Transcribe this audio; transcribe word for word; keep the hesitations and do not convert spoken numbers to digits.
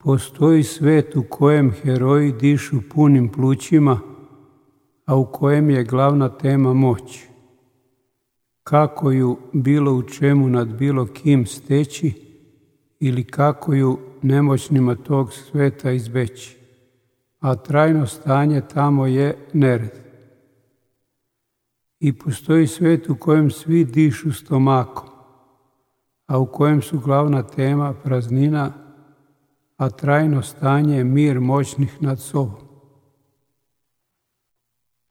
Postoji svet u kojem heroji dišu punim plućima, a u kojem je glavna tema moć. Kako ju bilo u čemu nad bilo kim steći ili kako ju nemoćnima tog sveta izbeći, a trajno stanje tamo je nered. I postoji svet u kojem svi dišu stomakom, a u kojem su glavna tema praznina, a trajno stanje je mir moćnih nad sobom.